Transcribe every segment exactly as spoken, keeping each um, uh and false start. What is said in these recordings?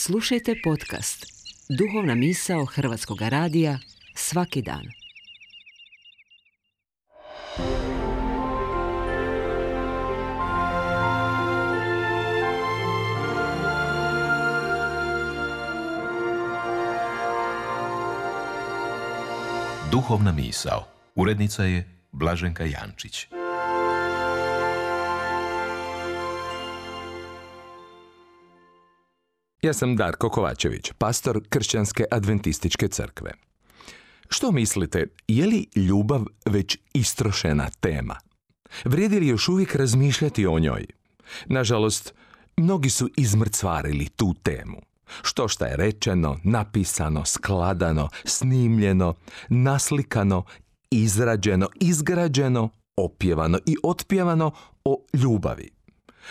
Slušajte podcast Duhovna misao Hrvatskog radija svaki dan. Duhovna misao. Urednica je Blaženka Jančić. Ja sam Darko Kovačević, pastor Kršćanske adventističke crkve. Što mislite, je li ljubav već istrošena tema? Vrijedi li još uvijek razmišljati o njoj? Nažalost, mnogi su izmrcvarili tu temu. Što šta je rečeno, napisano, skladano, snimljeno, naslikano, izrađeno, izgrađeno, opjevano i otpjevano o ljubavi.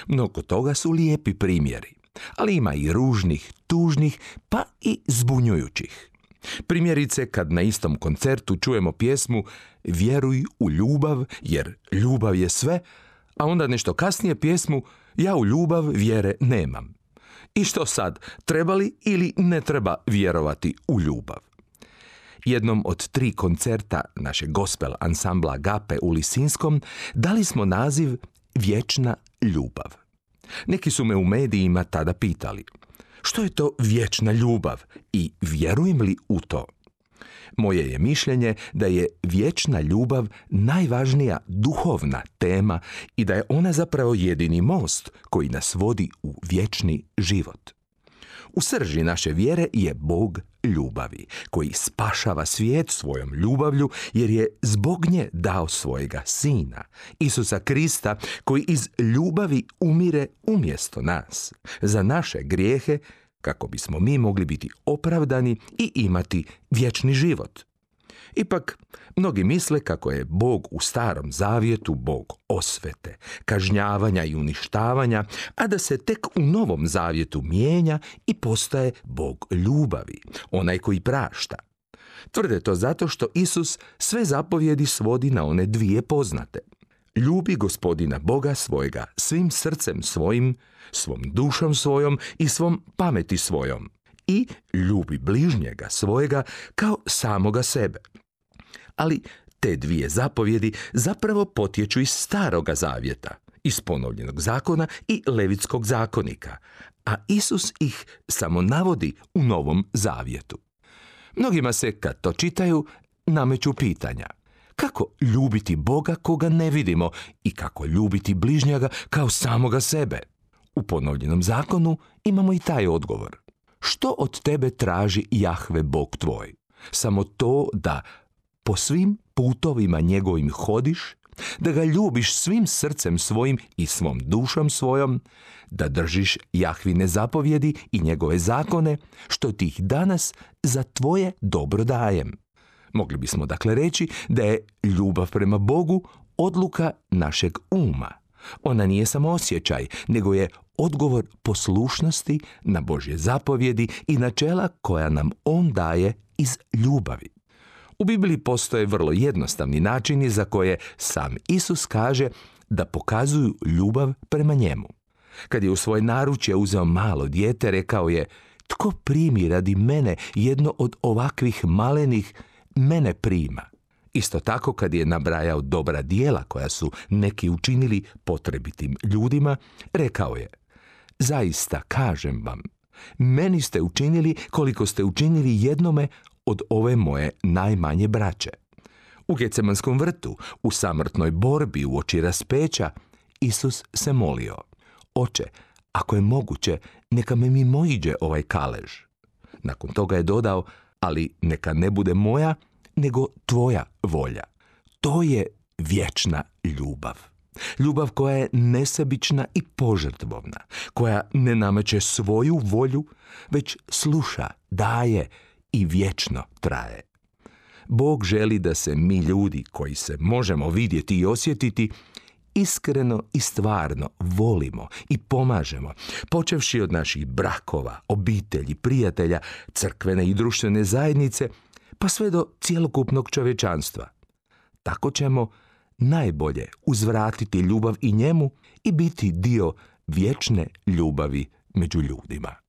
Mnogo toga su lijepi primjeri, ali ima i ružnih, tužnih, pa i zbunjujućih. Primjerice, kad na istom koncertu čujemo pjesmu Vjeruj u ljubav, jer ljubav je sve, a onda nešto kasnije pjesmu Ja u ljubav vjere nemam. I što sad, treba li ili ne treba vjerovati u ljubav? Jednom od tri koncerta našeg gospel ansambla Agape u Lisinskom dali smo naziv Vječna ljubav. Neki su me u medijima tada pitali, što je to vječna ljubav i vjerujem li u to? Moje je mišljenje da je vječna ljubav najvažnija duhovna tema i da je ona zapravo jedini most koji nas vodi u vječni život. U srži naše vjere je Bog ljubavi, koji spašava svijet svojom ljubavlju jer je zbog nje dao svojega Sina, Isusa Krista, koji iz ljubavi umire umjesto nas, za naše grijehe, kako bismo mi mogli biti opravdani i imati vječni život. Ipak, mnogi misle kako je Bog u Starom Zavjetu Bog osvete, kažnjavanja i uništavanja, a da se tek u Novom Zavjetu mijenja i postaje Bog ljubavi, onaj koji prašta. Tvrde to zato što Isus sve zapovjedi svodi na one dvije poznate. Ljubi Gospodina Boga svojega svim srcem svojim, svom dušom svojom i svom pameti svojom. I ljubi bližnjega svojega kao samoga sebe. Ali te dvije zapovjedi zapravo potječu iz Staroga Zavjeta, iz Ponovljenog zakona i Levitskog zakonika, a Isus ih samo navodi u Novom Zavjetu. Mnogima se, kad to čitaju, nameću pitanja. Kako ljubiti Boga koga ne vidimo i kako ljubiti bližnjega kao samoga sebe? U Ponovljenom zakonu imamo i taj odgovor. Što od tebe traži Jahve Bog tvoj? Samo to da po svim putovima njegovim hodiš, da ga ljubiš svim srcem svojim i svom dušom svojom, da držiš Jahvine zapovjedi i njegove zakone, što ti ih danas za tvoje dobro dajem. Mogli bismo dakle reći da je ljubav prema Bogu odluka našeg uma. Ona nije samo osjećaj, nego je odgovor poslušnosti na Božje zapovjedi i načela koja nam On daje iz ljubavi. U Bibliji postoje vrlo jednostavni načini za koje sam Isus kaže da pokazuju ljubav prema njemu. Kad je u svoje naručje uzeo malo dijete, rekao je: tko primi radi mene jedno od ovakvih malenih, mene prima. Isto tako kad je nabrajao dobra djela koja su neki učinili potrebitim ljudima, rekao je: zaista kažem vam, meni ste učinili koliko ste učinili jednome od ove moje najmanje braće. U Gecemanskom vrtu, u samrtnoj borbi uoči raspeća, Isus se molio: Oče, ako je moguće, neka me mimoiđe ovaj kalež. Nakon toga je dodao: ali neka ne bude moja, nego tvoja volja. To je vječna ljubav. Ljubav koja je nesebična i požrtvovna, koja ne nameće svoju volju, već sluša, daje i vječno traje. Bog želi da se mi ljudi koji se možemo vidjeti i osjetiti iskreno i stvarno volimo i pomažemo, počevši od naših brakova, obitelji, prijatelja, crkvene i društvene zajednice, pa sve do cjelokupnog čovječanstva. Tako ćemo najbolje uzvratiti ljubav i njemu i biti dio vječne ljubavi među ljudima.